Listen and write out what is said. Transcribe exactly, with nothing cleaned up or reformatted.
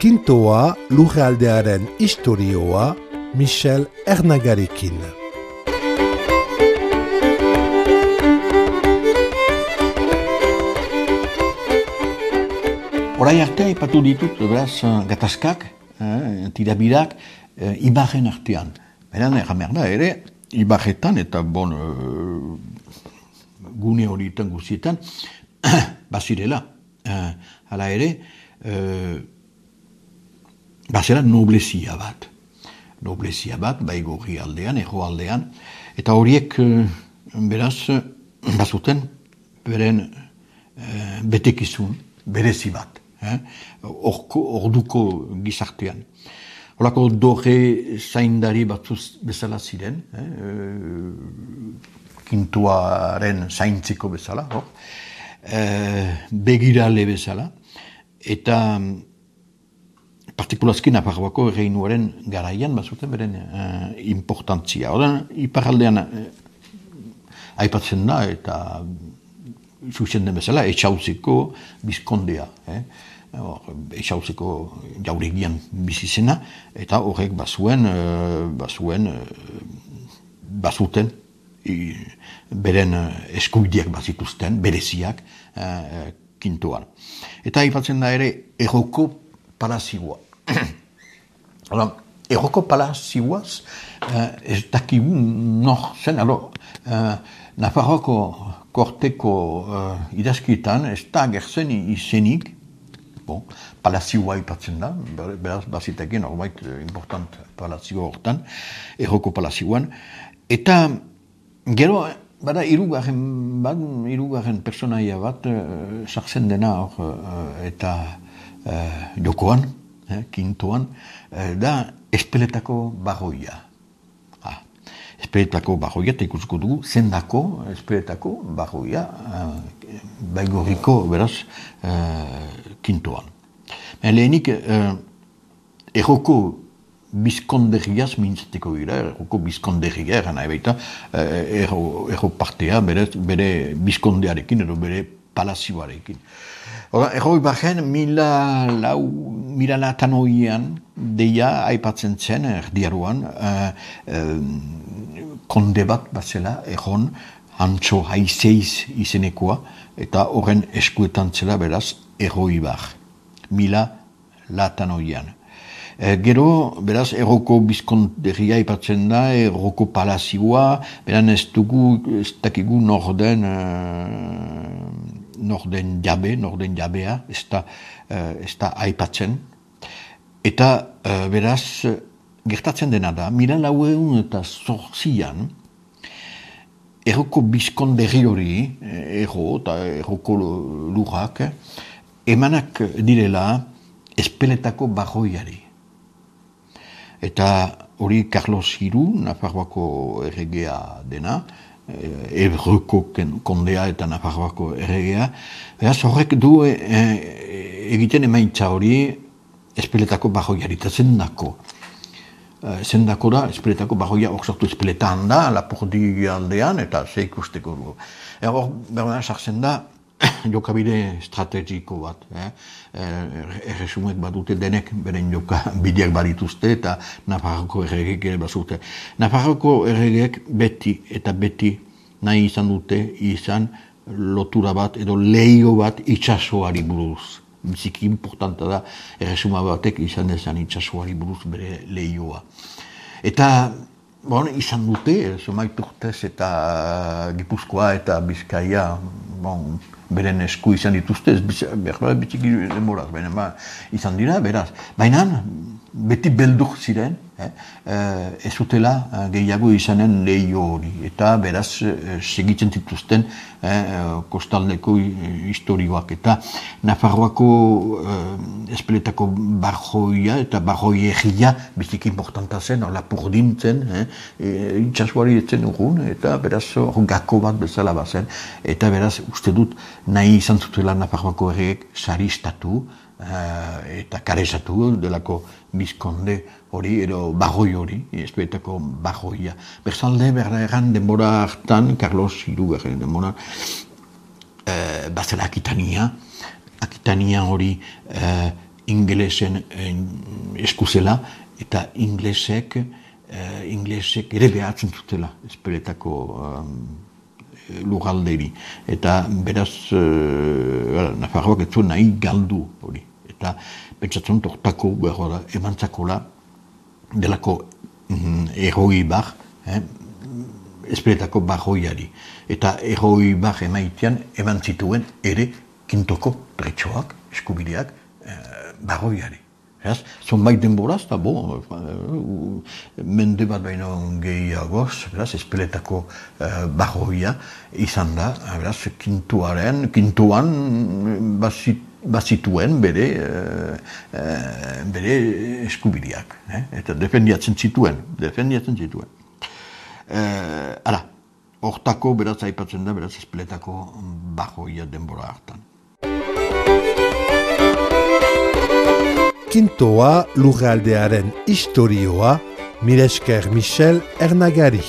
Kintoa lurraldearen istorioa Michel Ernagarekin. Horai arte aipatu ditut, beraz, gatazkak, eh, tirabirak, eh, ibarren artean. Beran, erramer da ere, ibarretan eta bon, eh, gune horietan guztietan, bazirela. Eh, hala ere, eh, bazera noblezia bat. Noblezia bat, baigorri aldean, erro aldean, eta horiek, eh, beraz, bazuten, beren eh, betekizun, berezi bat. Eh? Orko, orduko gizartean. Horako doge zaindari batzuz bezala ziren, eh? Kintuaren zaintziko bezala, hor? Eh, begirale bezala, eta partikulazki Nafarroako erreinuaren garaian bazuten beren eh, importantzia. Horren, iparaldean eh, aipatzen da, eta zuzen den bezala, etxauziko bizkondea. Eh? Etxauziko jauregian bizizena, eta horrek bazuen, bazuen, bazuten, beren eskubideak bazituzten, bereziak, Kintuan. Eta aipatzen da ere, erroko palazioa. Erroko palazioaz, ez dakigu nor zen, alo, Nafarroako korteko idazkitan, ez da agertzen izenik, bon, palazioa ipatzen da, beraz bazitekin, horbait important palazio hortan, erroko palazioan, eta gero, bada, irugarren bat, irugarren personaia bat, sartzen dena hor, eta uh, jokoan, eh, Kintoan, uh, da espeletako barroia. Ah, espeletako barroia, eta ikusko dugu, zendako espeletako barroia, uh, baigorriko, beraz, uh, Kintoan. Lehenik, uh, erroko bizkonderriaz mintzateko gira, erroko bizkonderria, eran nahi baita, uh, erro, erro partea, bere, bere bizkondearekin, edo bere palazioarekin. Erroi barren, mila lau, mila latanoian, deia aipatzen zen, erdiaruan, uh, uh, konde bat bazela, erron, Antxo haizeiz izenekoa, eta horren eskuetan zela beraz, erroi bar, mila latanoian. E, gero, beraz, erroko bizkonderria ipatzen da, erroko palazioa, beran ez dugu, ez dakigu norden, uh, norden jabe, norden jabea, ez da, uh, ez da aipatzen. Eta, uh, beraz, gertatzen dena da, mila laueun eta zorzian, erroko bizkonderri hori, erro eta erroko lurrak, emanak direla espeletako barroiari. Eta hori Carlos Hiru, Nafarroako erregea dena, Ebroko kondea eta Nafarroako erregea, beraz horrek du e, egiten emaitza hori espeletako barroiari, eta zendako. Zendako da, espeletako barroia oksartu espeletan da, Lapurdi aldean, eta ze ikusteko dugu. Hor, berda, sartzen da, jokabide estrategiko bat. Eh? Erresumek bat dute denek, beren joka bideak badituzte, eta Nafarroko erregek ere bazute. Nafarroko erregek beti eta beti nahi izan dute, izan lotura bat, edo leio bat itxasoari buruz. Biziki importanta da, erresuma batek izan dezan itxasoari buruz bere lehioa. Eta, bon, izan dute, Zumait urtez eta Gipuzkoa eta Bizkaia, bon, beren esku izan dituzte, behar bitiki demoraz, baina ba, izan dira, beraz. Baina, beti beldur ziren, eh, ez zutela gehiago izanen lehio hori. Eta beraz, segitzen dituzten eh, kostaldeko historioak. Eta Nafarroako eh, espeletako barroia eta barroiegia biziki importanta zen, Lapurdin zen, eh, itxasuari etzen urgun, eta beraz, gako bat bezala bazen. Eta beraz, uste dut, nahi izan zutela Nafarroako erreek saristatu, uh, eta karezatu delako bizkonde hori, edo barroi hori, espeletako barroia. Berzalde, berda erran, denbora hartan, Carlos Hiru erren denbora, uh, bazela Akitania, Akitania hori uh, ingelesen eskuzela, eta inglesek, uh, inglesek ere behatzen zutela Espeletako um, lurralderi. Eta beraz, uh, Nafarroak ez zuen nahi galdu hori. Eta pentsatzen tortako behar emantzakola delako mm, erroi bar, eh, Espeletako barroiari. Eta erroi bar emaitean eman zituen ere kintoko tretxoak, eskubideak, eh, barroiari. Zonbait denboraz, eta bo, mende bat baino gehiagoz, beraz, Espeletako uh, barroia izan da, beraz, kintuaren, kintuan bazit, bazituen bere, uh, uh, bere eskubideak, eh? Eta defendiatzen zituen, defendiatzen zituen. Uh, ara, hortako, beraz, aipatzen da, beraz, Espeletako barroia denbora hartan. Kintoa lurraldearen istorioa, mila esker Michel Ernagari.